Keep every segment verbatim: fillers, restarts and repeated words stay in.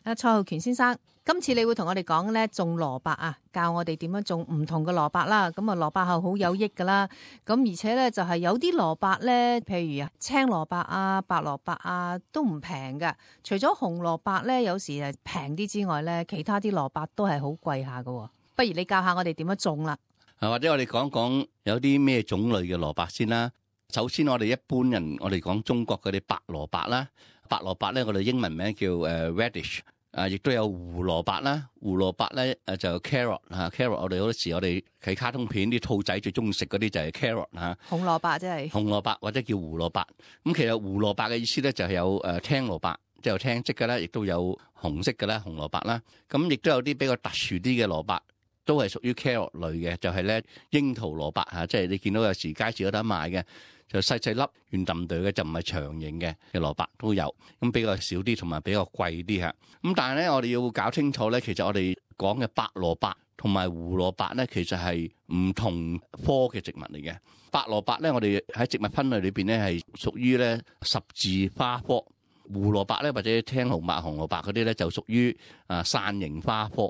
阿蔡浩權先生，今次你會同我哋講咧種蘿蔔啊，教我哋點樣種唔同嘅蘿蔔啦。咁啊，蘿蔔係好有益噶啦。咁而且咧就係有啲蘿蔔咧，譬如啊青蘿蔔啊、白蘿蔔啊，都唔平噶。除咗紅蘿蔔咧，有時係平啲之外咧，其他啲蘿蔔都係好貴下噶。不如你教下我哋點樣種啦。或者我哋講講有啲咩種類嘅蘿蔔先啦。首先我哋一般人，我哋講中國嗰啲白蘿蔔啦。白蘿蔔咧，我哋英文名叫誒 radish， 啊，亦都有胡蘿蔔啦。胡蘿蔔咧誒就 carrot 嚇 carrot。我哋好多時我哋睇卡通片啲兔仔最中意食嗰啲就係 carrot 嚇。紅蘿蔔即係紅蘿蔔或者叫胡蘿蔔。咁其實胡蘿蔔嘅意思咧就係有誒青蘿蔔，即係有青色嘅啦，亦都有紅色嘅啦，紅蘿蔔啦。咁亦都有啲比較特殊啲嘅蘿蔔，都係屬於 carrot 類嘅，就係咧櫻桃蘿蔔嚇，即係你見到有時街市有得賣嘅。就細細粒圓揼對嘅，就唔係長形嘅嘅蘿蔔都有，咁比較少啲，同埋比較貴啲嚇。咁但係咧，我哋要搞清楚咧，其實我哋講嘅白蘿蔔同埋胡蘿蔔咧，其實係唔同科嘅植物嚟嘅。白蘿蔔咧，我哋喺植物分類裏邊咧係屬於咧十字花科；胡蘿蔔咧或者青紅白紅蘿蔔嗰啲咧就屬於啊傘形花科。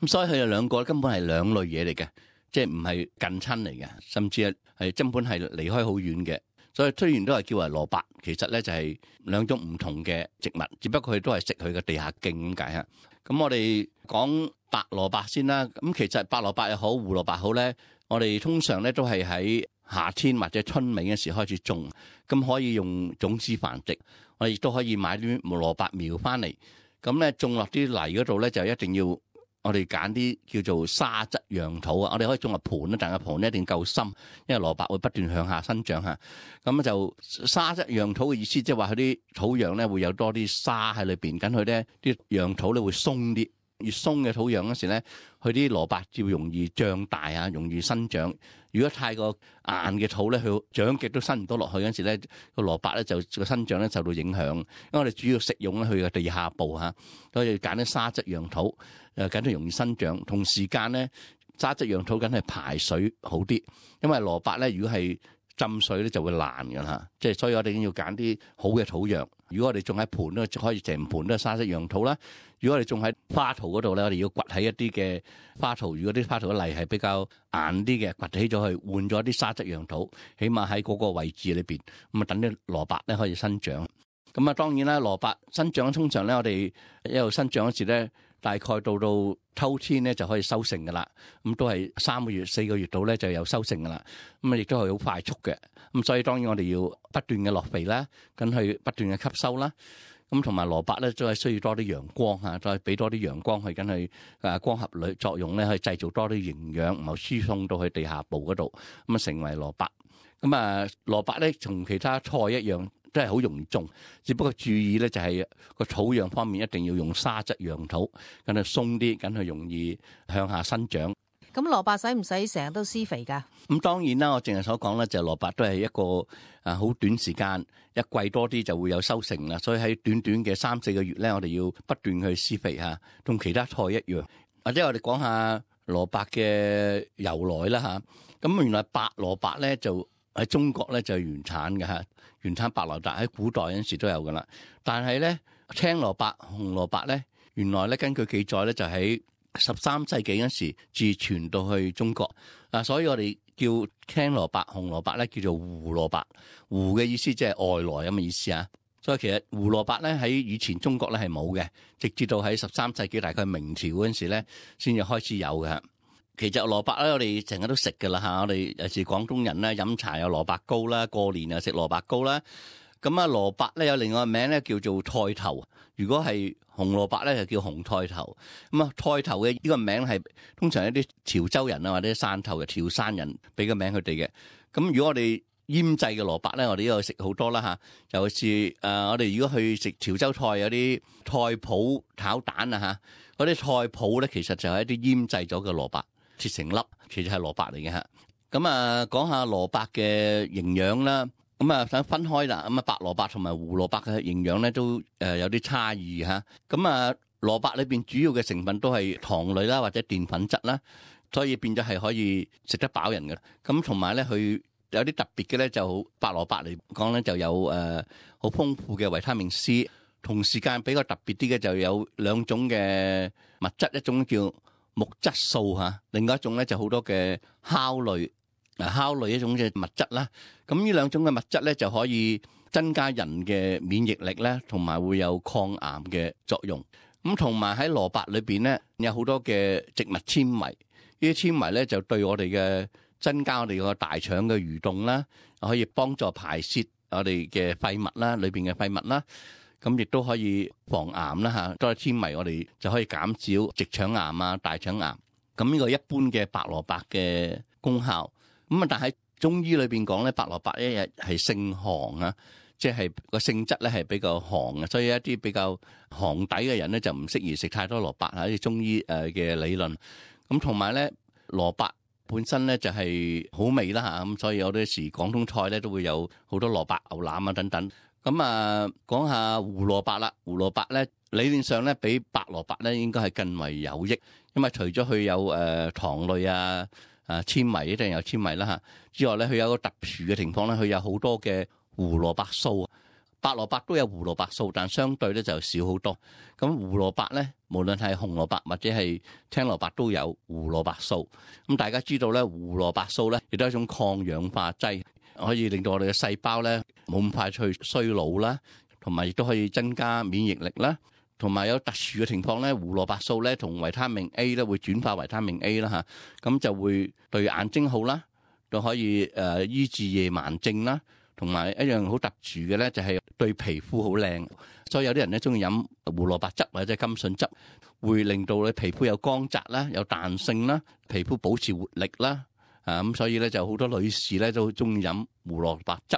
咁所以佢哋兩個根本係兩類嘢嚟嘅，即係唔係近親嚟嘅，甚至係係根本係離開好遠嘅。所以雖然都係叫為蘿蔔，其實咧就係兩種唔同嘅植物，只不過佢都係食佢嘅地下莖咁解嚇。咁我哋講白蘿蔔先啦。咁其實白蘿蔔又好，胡蘿蔔好咧，我哋通常咧都係喺夏天或者春尾嘅時開始種，咁可以用種子繁殖。我哋亦都可以買啲蘿蔔苗翻嚟，咁咧種落啲泥嗰度咧就一定要。我哋揀啲叫做沙質樣土啊，我哋可以種入盤啦，但係盤咧一定夠深，因為蘿蔔會不斷向下生長嚇。咁就沙質樣土嘅意思，即係話佢啲土壤咧會有多啲沙喺裏邊，咁佢咧啲樣土咧會鬆啲，越鬆嘅土壤嗰時咧，佢啲蘿蔔就容易長大啊，容易生長。如果太過硬嘅土咧，佢長極都生唔到落去嗰時咧，個蘿蔔咧就個生長咧受到影響。因為我哋主要食用咧佢嘅地下部嚇，所以揀啲沙質樣土。誒緊係容易生長，同時間咧沙質樣土緊係排水好啲，因為蘿蔔咧如果係浸水咧就會爛㗎啦，即係所以我哋要揀啲好嘅土壤。如果我哋種喺盤咧，就可以成盤都係沙質樣土啦。如果我哋種喺花槽嗰度咧，我哋要掘起一啲嘅花槽。如果啲花槽嘅泥係比較硬啲嘅，掘起咗去換咗啲沙質樣土，起碼喺嗰個位置裏邊，咁啊等啲蘿蔔咧可以生長。咁啊當然啦，蘿蔔生長通常咧，我哋一路生長嗰時咧。大概到到秋天咧就可以收成噶啦，咁都係三個月四個月度咧就有收成噶啦，咁啊亦都係好快速嘅，咁所以當然我哋要不斷嘅落肥啦，咁去不斷嘅吸收啦，咁同埋蘿蔔咧都係需要多啲陽光嚇，再俾多啲陽光去緊去誒光合類作用咧，去製造多啲營養，然後輸送到去地下部嗰度，咁啊成為蘿蔔。咁啊蘿蔔咧同其他菜一樣。都係好容易種，只不過注意咧就係個土壤方面一定要用沙質樣土，咁啊鬆啲，咁啊容易向下生長。咁蘿蔔使唔使成日都施肥㗎？咁當然啦，我淨係所講咧就蘿蔔都係一個啊好短時間，一季多啲就會有收成啦。所以喺短短嘅三四個月咧，我哋要不斷去施肥嚇，同其他菜一樣。或者我哋講下蘿蔔嘅由來啦嚇。咁原來白蘿蔔咧就喺中國咧就係原產嘅嚇。原產白蘿蔔喺古代嗰陣時都有噶啦，但係咧青蘿蔔、紅蘿蔔咧，原來咧根據記載咧就喺十三世紀嗰時自傳到去中國啊，所以我哋叫青蘿蔔、紅蘿蔔咧叫做胡蘿蔔，胡嘅意思即係外來咁嘅意思啊。所以其實胡蘿蔔咧喺以前中國咧係冇嘅，直至到喺十三世紀大概明朝嗰陣時咧先至開始有嘅。其實蘿蔔咧，我哋成日都食㗎啦嚇，我哋尤其是廣東人咧，飲茶有蘿蔔糕啦，過年又食蘿蔔糕啦。咁啊，蘿蔔咧有另外個名咧叫做菜頭，如果係紅蘿蔔咧就叫紅菜頭。咁啊，菜頭嘅呢個名係通常一啲潮州人啊或者汕頭嘅潮汕人俾個名佢哋嘅。咁如果我哋醃製嘅蘿蔔咧，我哋呢度食好多啦嚇，尤其是誒我哋如果去食潮州菜有啲菜脯炒蛋啊嚇，嗰啲菜脯咧其實就係一啲醃製咗嘅蘿蔔。切成粒，其實係蘿蔔嚟嘅嚇。咁啊，講下蘿蔔嘅營養啦。咁啊，想分開啦。咁啊，白蘿蔔同埋胡蘿蔔嘅營養咧都誒有啲差異嚇。咁啊，蘿蔔裏邊主要嘅成分都係糖類啦，或者澱粉質啦，所以變咗係可以食得飽人嘅。咁同埋咧，佢有啲特別嘅咧，就白蘿蔔嚟講咧就有誒好豐富嘅維他命 C。同時間比較特別啲嘅就有兩種嘅物質，一種叫木質素嚇，另外一種咧就好多嘅酵類，嗱酵類一種嘅物質啦。咁呢兩種嘅物質咧就可以增加人嘅免疫力咧，同埋會有抗癌嘅作用。咁同埋喺蘿蔔裏邊咧有好多嘅植物纖維，呢啲纖維咧就對我哋嘅增加我哋個大腸嘅蠕動啦，可以幫助排泄我哋嘅廢物啦，裏邊嘅廢物啦。咁亦都可以防癌啦嚇，多啲纖維我哋就可以減少直腸癌啊、大腸癌。咁呢個一般嘅白蘿蔔嘅功效。咁啊，但係中醫裏邊講咧，白蘿蔔一日係性寒啊，即係個性質咧係比較寒嘅，所以一啲比較寒底嘅人咧就唔適宜食太多蘿蔔嚇，啲中醫誒嘅理論。咁同埋咧，蘿蔔本身咧就係好味啦嚇，咁所以有啲時廣東菜咧都會有好多蘿蔔牛腩啊等等。咁啊，講下胡蘿蔔啦。胡蘿蔔咧理論上咧比白蘿蔔咧應該係更為有益，因為除咗佢有誒、呃、糖類啊、啊纖維一定有纖維啦嚇之外咧，佢有個特殊嘅情況咧，佢有好多嘅胡蘿蔔素。白蘿蔔都有胡蘿蔔素，但相對咧就少好多。咁胡蘿蔔咧，無論係紅蘿蔔或者係青蘿蔔都有胡蘿蔔素。咁大家知道咧，胡蘿蔔素咧亦都係一種抗氧化劑。可以令到我哋嘅細胞咧冇咁快去衰老啦，同埋亦都可以增加免疫力啦，同埋有特殊嘅情況咧，胡蘿蔔素咧同維他命 A 咧會轉化維他命 A 啦嚇，咁就會對眼睛好啦，都可以誒醫治夜盲症啦，同埋一樣好特殊嘅咧就係對皮膚好靚，所以有啲人咧中意飲胡蘿蔔汁或者甘筍汁，會令到你皮膚有光澤啦、有彈性啦、皮膚保持活力啦。啊咁，所以咧就好多女士咧都中意飲胡蘿蔔汁。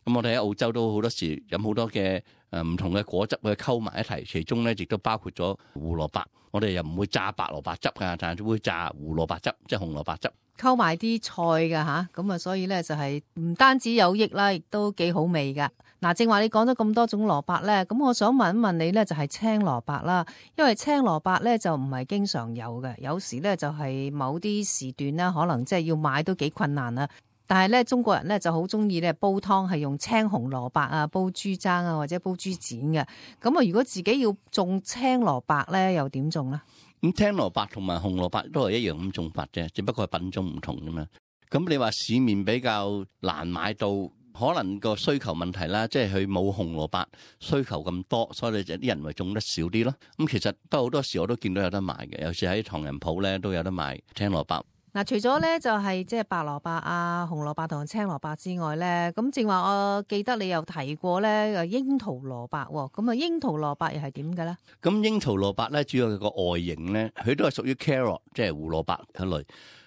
咁我哋喺澳洲都好多時飲好多嘅誒唔同嘅果汁去溝埋一齊，其中咧亦都包括咗胡蘿蔔。我哋又唔會炸白蘿蔔汁㗎，但係會炸胡蘿蔔汁，即係紅蘿蔔汁。溝埋啲菜㗎吓，咁啊，所以咧就係唔單止有益啦，亦都幾好味㗎。嗱，正話你講咗咁多種蘿蔔咧，咁我想問一問你咧，就係青蘿蔔啦，因為青蘿蔔咧就唔係經常有嘅，有時咧就係某啲時段咧，可能即係要買都幾困難啦。但係咧，中國人咧就好中意咧煲湯係用青紅蘿蔔啊，煲豬踭啊，或者煲豬展嘅。咁啊，如果自己要種青蘿蔔咧，又點種咧？咁青蘿蔔同埋紅蘿蔔都係一樣咁種法啫，只不過係品種唔同啫嘛。咁你話市面比較難買到。可能個需求問題啦，即係佢冇紅蘿蔔需求咁多，所以就啲人咪種得少啲咯。咁其實不過好多時我都見到有得賣嘅，有時喺唐人鋪咧都有得賣青蘿蔔。嗱，除咗咧就係即係白蘿蔔啊、紅蘿蔔同青蘿蔔之外咧，咁正話我記得你有提過咧，誒櫻桃蘿蔔喎。咁啊，櫻桃蘿蔔又係點嘅咧？咁櫻桃蘿蔔咧，主要係個外形咧，佢都係屬於 carrot，即係胡蘿蔔一類。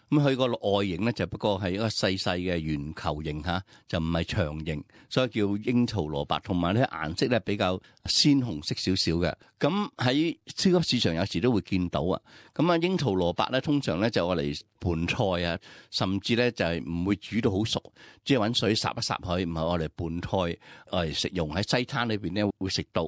咁佢個外形咧就不過係一個細細嘅圓球形嚇，就唔係長形，所以叫櫻桃蘿蔔。同埋咧顏色咧比較鮮紅色少少嘅。咁喺超級市場有時都會見到啊。咁啊櫻桃蘿蔔咧通常咧就愛嚟拌菜啊，甚至咧就係唔會煮到好熟，即係揾水霎一霎佢，唔係愛嚟拌菜，愛嚟食用。喺西餐裏邊咧會食到。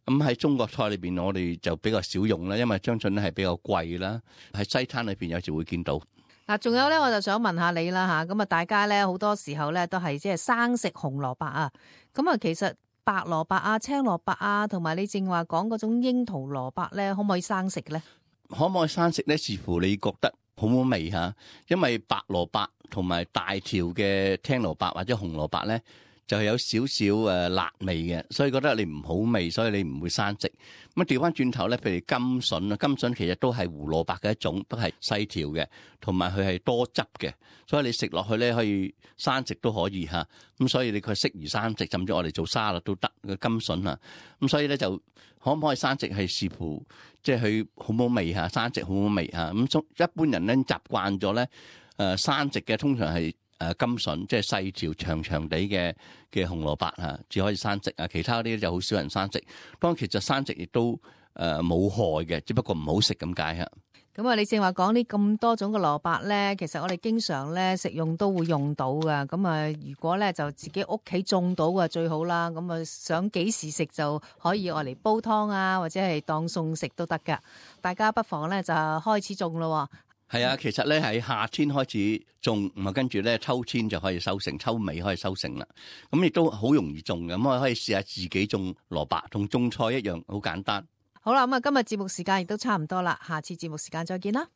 咁喺中國菜裏邊我哋就比較少用啦，因為相信咧係比較貴啦。喺西餐裏邊有時會見到。嗱，仲有咧，我就想問下你啦吓，咁啊，大家咧好多時候咧都係即係生食紅蘿蔔啊，咁啊，其實白蘿蔔啊、青蘿蔔啊，同埋你正話講嗰種櫻桃蘿蔔咧，可唔可以生食咧？可唔可以生食咧？視乎你覺得好唔好味吓，因為白蘿蔔同埋大條嘅青蘿蔔或者紅蘿蔔咧，就係有少少誒辣味嘅，所以覺得你唔好味，所以你唔會生食。咁啊調翻轉頭咧，譬如甘筍啊，甘筍其實都係胡蘿蔔嘅一種，都係細條嘅，同埋佢係多汁嘅，所以你食落去咧可以生食都可以嚇。咁所以你佢適宜生食，甚至我哋做沙律都得嘅甘筍啊。咁所以咧就可唔可以生食係視乎即係佢好唔好味嚇，生食好唔好味嚇。咁一般人咧習慣咗咧誒生食嘅通常係。誒甘筍即係細條長長地嘅嘅紅蘿蔔嚇，只可以生食啊，其他啲就好少人生食。當其實生食亦都誒冇害嘅，只不過唔好食咁解嚇。咁啊，你正話講呢咁多種嘅蘿蔔咧，其實我哋經常咧食用都會用到噶。咁啊，如果咧就自己屋企種到嘅最好啦。咁啊，想幾時食就可以愛嚟煲湯啊，或者係當餸食都得噶。大家不妨咧就開始種咯。係啊，其實咧喺夏天開始種，咁啊跟住咧秋天就可以收成，秋尾可以收成啦。咁亦都好容易種嘅，咁我可以試下自己種蘿蔔，同種菜一樣，好簡單。好啦，咁啊今日節目時間亦都差唔多啦，下次節目時間再見啦。